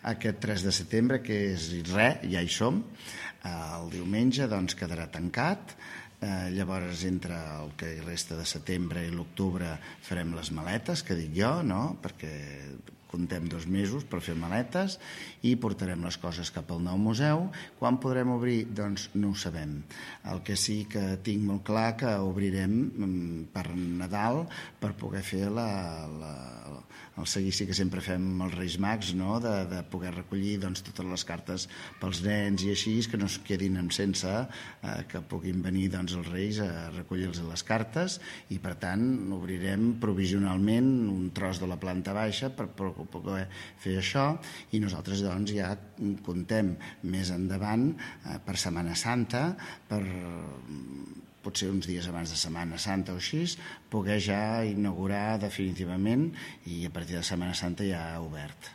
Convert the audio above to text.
Aquest 3 de setembre, que és res, ja hi som. El diumenge doncs, quedarà tancat. Llavors, entre el que resta de setembre i l'octubre farem les maletes, que dic jo, no? Perquè comptem 2 mesos per fer maletes i portarem les coses cap al nou museu. Quan podrem obrir? Doncs no ho sabem. El que sí que tinc molt clar que obrirem per Nadal per poder fer el seguici que sempre fem amb els Reis Mags, no? De poder recollir doncs, totes les cartes pels nens i així, que no es quedin sense, que puguin venir doncs, els Reis a recollir-los les cartes, i per tant obrirem provisionalment un tros de la planta baixa per poder fer això, i nosaltres doncs, ja comptem més endavant per Setmana Santa, per potser uns dies abans de Setmana Santa o així, poder ja inaugurar definitivament, i a partir de Setmana Santa ja obert.